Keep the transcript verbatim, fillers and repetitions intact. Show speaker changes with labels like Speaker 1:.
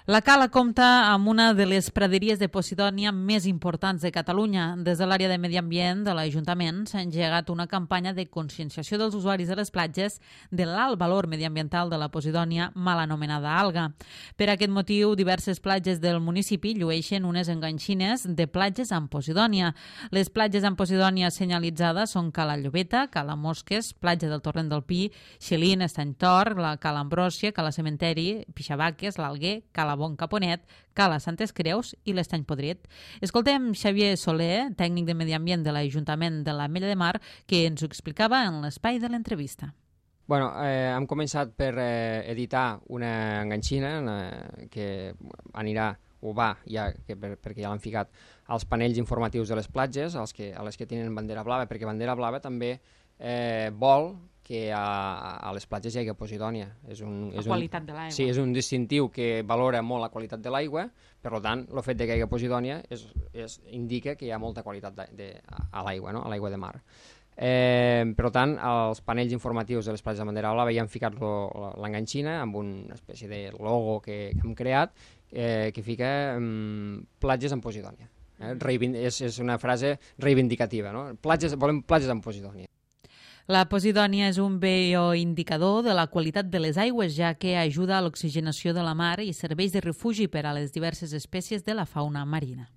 Speaker 1: La Cala compta amb una de les praderies de Posidònia més importants de Catalunya. Des de l'àrea de Medi Ambient de l'Ajuntament s'ha engegat una campanya de conscienciació dels usuaris de les platges de l'alt valor mediambiental de la Posidònia, mal anomenada alga. Per aquest motiu, diverses platges del municipi llueixen unes enganxines de platges amb Posidònia. Les platges amb Posidònia senyalitzades són Cala Llobeta, Cala Mosques, platja del Torrent del Pi, Xelin, Estany Tor, la Cala Ambròsia, Cala Cementeri, Pixabaques, l'Alguer, Cala Bon Caponet, Cala Santes Creus i l'Estany Podrit. Escoltem Xavier Soler, tècnic de Medi Ambient de l'Ajuntament de l'Ametlla de Mar, que ens ho explicava en l'espai de l'entrevista.
Speaker 2: Bueno, eh, hem començat per eh, editar una enganxina eh, que anirà o va, ja, que per, perquè ja l'han ficat, als panells informatius de les platges, als que, a les que tenen bandera blava, perquè bandera blava també eh, vol que a, a les platges hi hagi Posidònia. És un, és
Speaker 1: la qualitat de l'aigua.
Speaker 2: Sí, és un distintiu que valora molt la qualitat de l'aigua, per tant, el fet de que hi hagi Posidònia és, és, indica que hi ha molta qualitat de, de, a l'aigua, no? A l'aigua de mar. Eh, per tant, els panells informatius de les platges de bandera blava ja han ficat l'enganxina amb una espècie de logo que, que hem creat eh, que fica um, platges amb Posidònia. Eh? Reivind és, és una frase reivindicativa, no? Platges, volem platges amb Posidònia.
Speaker 1: La Posidònia és un bioindicador de la qualitat de les aigües, ja que ajuda a l'oxigenació de la mar i serveix de refugi per a les diverses espècies de la fauna marina.